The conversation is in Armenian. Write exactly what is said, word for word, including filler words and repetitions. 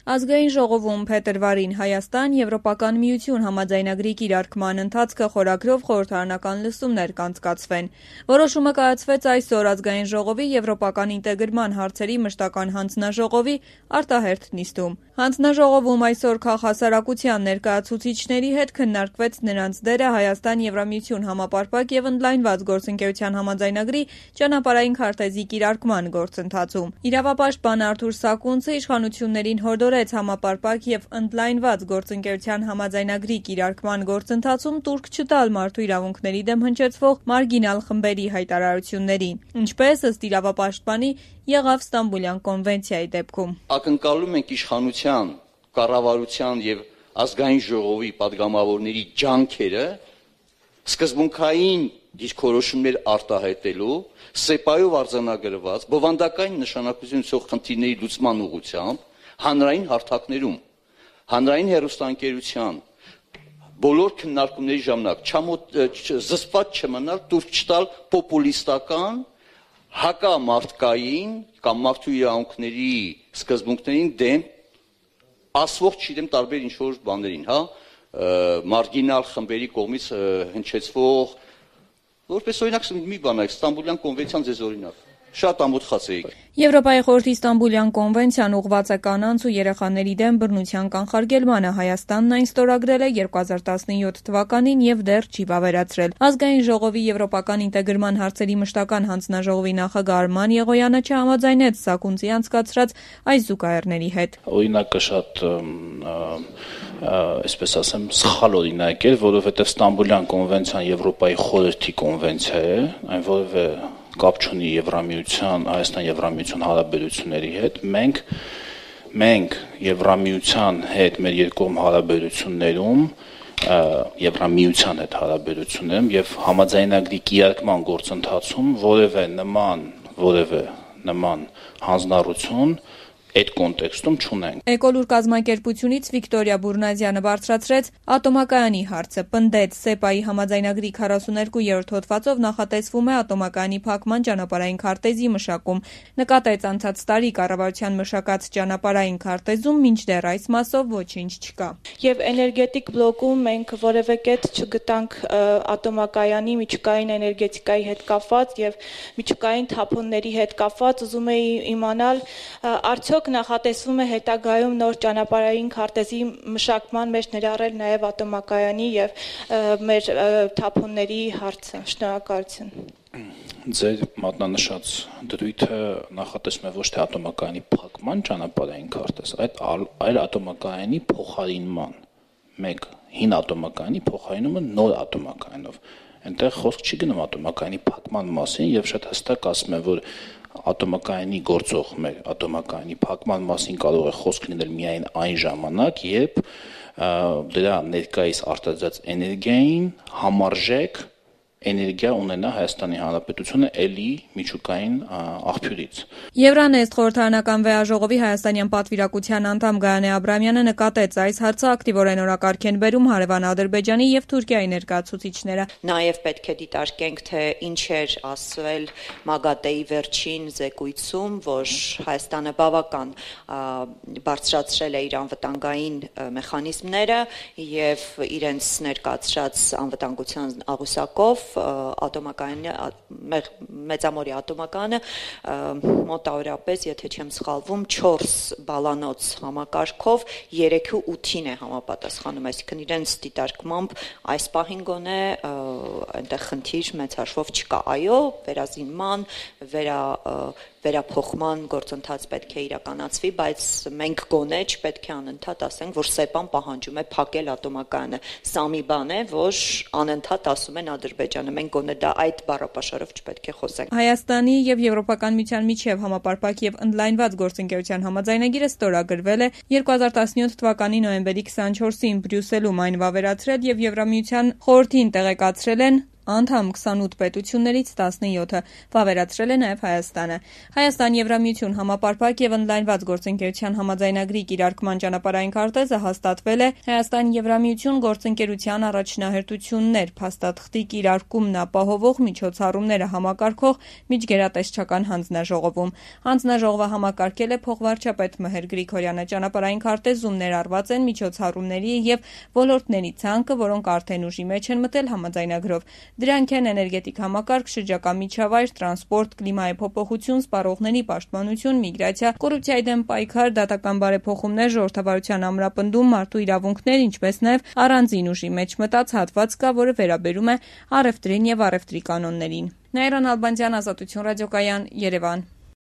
Ազգային ժողովում փետրվարին Հայաստան Եվրոպական միություն համաձայնագրի կիրարկման ընթացքը խորագրով խորհրդարանական լսումներ կանցկացվեն։ Որոշումը կայացվեց այսօր Ազգային ժողովի Եվրոպական ինտեգրման հարցերի մշտական հանձնաժողովի արտահերթ նիստում։ Հանձնաժողովում այսօր քաղաքասարակության ներկայացուցիչների հետ քննարկվեց նրանց դերը Հայաստան Եվրամիություն համապարփակ եւ ընդլայնված գործընկերության համաձայնագրի ճանապարհային քարտեզի կիրարկման գործընթացում։ Իրավապաշտպան Արթուր Սակունցը իշխանություններին հորդորեց համապարփակ եւ ընդլայնված գործընկերության համաձայնագրի կիրարկման գործընթացում տուրք չտալ մարդու իրավունքների դեմ հնչեցվող մարգինալ խմբերի հայտարարություններին, ինչպես ըստ իրավապաշտպանի եղավ Ստամբուլյան կոնվենցիայի դեպքում։ Ակնկալում ենք իշխանության, կառավարության եւ ազգային ժողովի падգամավորների ջանքերը սկզբունքային դիրքորոշումներ արտահայտելու սեպայով արձանագրված բովանդակային նշանակություն ունեցող խնդիրների լուծման ուղղությամբ հանրային հարթակներում, հանրային հեռուստաընկերության բոլոր քննարկումների ժամանակ զսպված չմնալ տուրք չտալ պոպուլիստական հակամարտկային կամ մարդու իրավունքների սկզբունքներին դեմ ասվող չգիտեմ տարբեր ինչ-որ բաներին, հա, մարգինալ խմբերի կողմից հնչեցվող, որպես օրինակ մի բան է, Ստամբուլյան կոնվենցիան ձեզ օրինակ, շատ ամոթխած էիք։ Եվրոպայի խորհրդի Ստամբուլյան կոնվենցիան ուղղված է կանանց ու երեխաների դեմ բռնության կանխարգելմանը։ Հայաստանն այն ստորագրել է երկու հազար տասնյոթ թվականին եւ դեռ չի վավերացրել։ Ազգային ժողովի Եվրոպական ինտեգրման հարցերի մշտական հանձնաժողովի նախագահ Արման Եղոյանը չհամաձայնեց Սակունցի անցկացրած այս զուգահեռների հետ։ Օրինակը շատ այսպես ասեմ սխալ օրինակ է, որովհետեւ Ստամբուլյան կոնվենցիան Եվրոպայի խորհրդի կոնվենցիա է, այն որևէ կապ չունի Եվրամիության, Հայաստան Եվրամիություն հարաբերությունների հետ։ Մենք մենք Եվրամիության հետ մեր երկկողմ հարաբերություններում Եվրամիության հետ հարաբերություններում եւ համաձայնագրի կիրարկման գործընթացում որևէ նման որևէ նման հանձնառություն այդ կոնտեքստում չունենք։ Էկոլուր կազմակերպությունից Վիկտորիա Բուրնազյանը բարձրացրեց ատոմակայանի հարցը, պնդեց սեպայի համաձայնագրի քառասուներկուերորդ հոդվածով նախատեսվում է ատոմակայանի փակման ճանապարհային քարտեզի մշակում։ Նկատեց անցած տարի կառավարության մշակած ճանապարհային քարտեզում մինչդեռ այս մասով ոչինչ չկա։ Եվ էներգետիկ բլոկում մենք որևէ կետ չգտանք ատոմակայանի միջուկային էներգետիկայի հետ կապված եւ միջուկային թափոնների հետ կապված։ Ուզում էի իմանալ արդյոք նախատեսվում է հետագայում նոր ճանապարհային քարտեզի մշակման մեջ ներառել նաև ատոմակայանի եւ մեր թափոնների հարցը։ Շնորհակալություն։ Ձեր մատնանշած դրույթը նախատեսում է ոչ թե ատոմակայանի փակման ճանապարհային քարտեզ, այլ ատոմակայանի փոխարինման։ Մեկ հին ատոմակայանի փոխարինումը նոր ատոմակայանով։ Այնտեղ խոսք չի գնում ատոմակայանի փակման մասին եւ շատ հստակ ասում է, որ ատոմակայանի գործող մեր ատոմակայանի փակման մասին կարող է խոսք լինել միայն այն ժամանակ, երբ դրա ներկայիս արտադրած էներգիային համարժեք էներգիա ունենա Հայաստանի Հանրապետությունը էլի միջուկային աղբյուրից։ Եվրանեստ խորհրդարանական վեաժողովի հայաստանյան պատվիրակության անդամ Գայանե Աբրամյանը նկատեց այս հարցը ակտիվորեն օրակարգ են բերում հարևան Ադրբեջանի եւ Թուրքիայի ներկայացուցիչները։ Նաեւ պետք է դիտարկենք, թե ինչ էր ասվել ՄԱԳԱՏԵ-ի վերջին զեկույցում, որ Հայաստանը բավական բարձրացրել է իր անվտանգային մեխանիզմները եւ իրենց ներկայացրած անվտանգության աղյուսակով ատոմակայանի մեծամորի ատոմակայանը մոտավորապես, եթե չեմ սխալվում, չորս բալանոց համակարգով երեքի ութին է համապատասխանում, այսինքն իրենց դիտարկմամբ այս պահին գոնե այնտեղ խնդիր մեծ հաշվով չկա։ Այո, վերազինման, վերա վերափոխման գործընթաց պետք է իրականացվի, բայց մենք գոնե չպետք է անընդհատ ասենք, որ սեպան պահանջում է փակել ատոմակայանը։ Սա մի բան է, որ անընդհատ ասում են Ադրբեջանը, մենք գոնե դա այդ բառապաշարով չպետք է խոսենք։ Հայաստանի եւ Եվրոպական միության միջև համապարփակ եւ ընդլայնված գործընկերության համաձայնագիրը ստորագրվել է երկու հազար տասնյոթ թվականի նոյեմբերի քսանչորսին Բրյուսելում այն վավերացրել եւ Եվրամիության խորհրդին տեղեկացրել են անդամ քսանութ պետություններից տասնյոթը, վավերացրել է նաև Հայաստանը։ Հայաստան-Եվրամիություն համապարփակ եւ ընդլայնված գործընկերության համաձայնագրի կիրարկման ճանապարհային քարտեզը հաստատվել է Հայաստան-Եվրամիություն գործընկերության առաջնահերթություններ, փաստաթղթի կիրարկումն ապահովող միջոցառումները համակարգող միջգերատեսչական հանձնաժողովում։ Հանձնաժողովը համակարգել է փոխվարչապետ Մհեր Գրիգորյանը։ Ճանապարհային քարտեզում ներառված են միջոցառումների եւ ոլորտների ցանկը, որոնք արդեն ուժի մեջ են մտել համաձայնագրով։ Դրանք են էներգետիկ համակարգ, շրջակա միջավայր, տրանսպորտ, կլիմայի փոփոխություն, սպառողների պաշտպանություն, միգրացիա, կոռուպցիայի դեմ պայքար, դատական բարեփոխումներ, ժողովրդավարության ամրապնդում, մարդու իրավունքներ, ինչպես նաև առանձին ուժի մեջ մտած հատված կա, որը վերաբերում է առևտրին եւ առևտրի կանոններին։ Նաիրան Ալբանդյան, Ազատություն ռադիոկայան, Երևան։